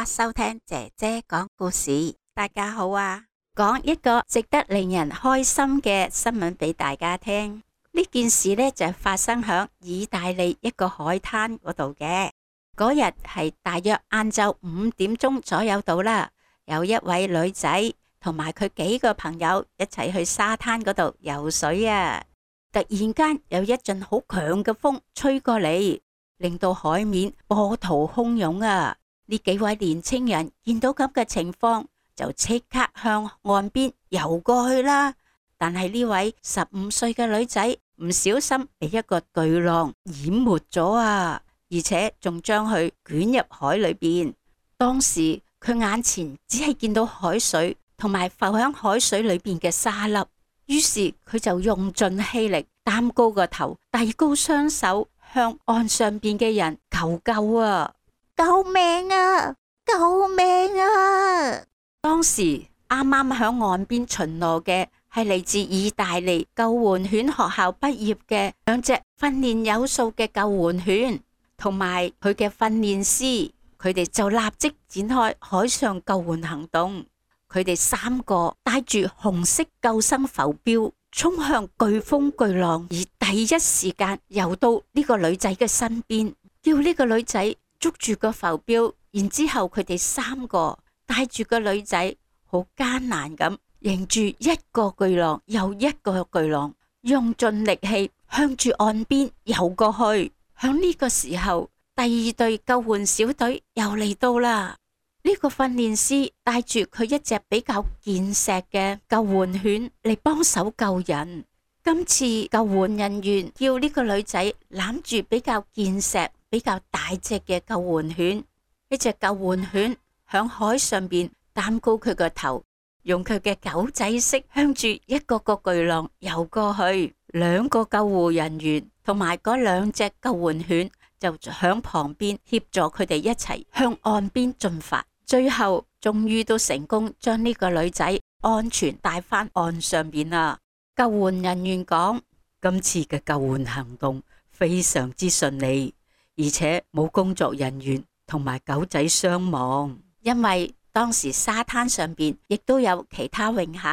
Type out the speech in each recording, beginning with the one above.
家收聽姐姐講故事。大家好啊，講一個值得令人開心嘅新聞俾大家聽。呢件事呢，就發生響意大利一個海灘嗰度嘅。嗰日係大約晏晝5點鐘左右到啦，有一位女仔同埋佢幾個朋友一齊去沙灘嗰度游水啊。突然間有一陣好強嘅風吹過嚟，令到海面波濤洶湧啊！呢幾位年青人見到咁嘅情況，就即刻向岸邊游過去啦。但係呢位15歲嘅女仔唔小心被一個巨浪淹沒咗啊，而且仲將佢捲入海裏邊。當時佢眼前只係見到海水同埋浮響海水裏邊嘅沙粒。於是佢就用盡氣力，擔高個頭，遞高雙手向岸上邊嘅人求救啊！救命啊！救命啊！當時啱啱響岸邊巡邏嘅係嚟自意大利救援犬學校畢業嘅2隻訓練有素嘅救援犬，同埋佢嘅訓練師，佢哋就立即展開海上救援行動。佢哋3個帶住紅色救生浮標，衝向颶風巨浪，而第一時間游到呢個女仔嘅身邊，叫呢個女仔捉住個浮標。然之後佢哋3個帶住個女仔，好艱難咁迎住一個巨浪又一個巨浪，用盡力氣向住岸邊游過去。響呢個時候，第2隊救援小隊又嚟到啦。呢個訓練師帶住佢一隻比較健碩嘅救援犬嚟幫手救人。今次救援人員叫呢個女仔攬住比較健碩、比較大隻嘅救援犬。呢隻救援犬響海上邊擔高佢個頭，用佢嘅狗仔式向住一個個巨浪游過去。2個救護人員同埋嗰2隻救援犬就響旁邊協助佢哋一齊向岸邊進發。最後終於都成功將呢個女仔安全帶返岸上邊啦。救援人員講，今次嘅救援行動非常之順利，而且冇工作人員同埋狗仔傷亡。因為當時沙灘上邊亦都有其他泳客，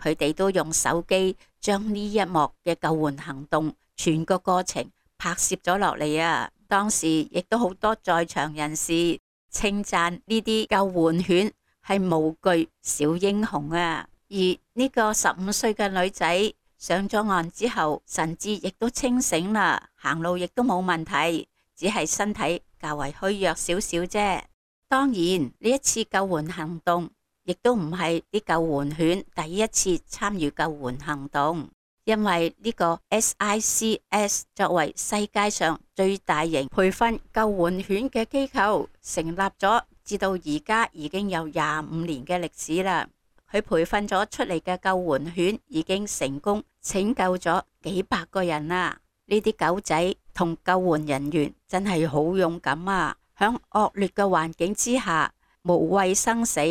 佢哋都用手機將呢一幕嘅救援行動全個過程拍攝咗落嚟啊。當時亦都好多在場人士稱讚呢啲救援犬係無懼小英雄啊！而呢個15歲嘅女仔上咗岸之後，神志亦都清醒啦，行路亦都冇問題，只係身體較為虛弱少少啫。當然呢一次救援行動亦都唔係啲救援犬第一次參與救援行動，因為呢個 SICS 作為世界上最大型培訓救援犬嘅機構，成立咗至到而家已經有25年嘅歷史啦。佢培訓咗出嚟嘅救援犬已經成功拯救咗幾百個人啦。呢啲狗仔同救援人員真係好勇敢啊！響惡劣嘅環境之下，無畏生死，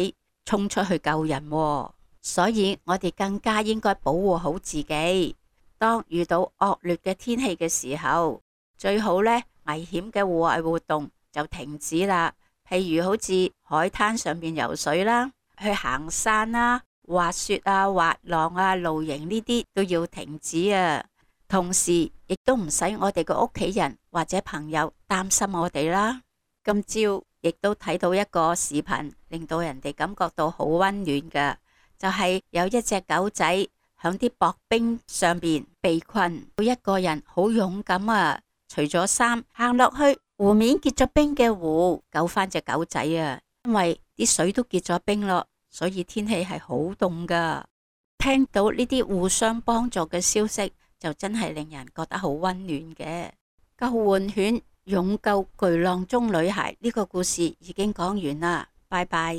衝出去救人喎。所以我哋更加應該保護好自己。當遇到惡劣嘅天氣嘅時候，最好呢危險嘅戶外活動就停止啦。譬如好似海灘上面游水啦，去行山啦、滑雪啊、滑浪啊、露營呢啲都要停止啊。同時亦都唔使我哋個屋企人或者朋友擔心我哋啦。今朝亦都睇到一個視頻，令到人哋感覺到好溫暖嘅，就係有一隻狗仔響啲薄冰上邊被困，一個人好勇敢啊，除咗衫行落去湖面結咗冰嘅湖救翻隻狗仔啊。因為啲水都結咗冰咯，所以天氣係好凍噶。聽到呢啲互相幫助嘅消息，就真係令人覺得好溫暖嘅。救援犬勇救巨浪中女孩呢個故事已經講完啦，拜拜。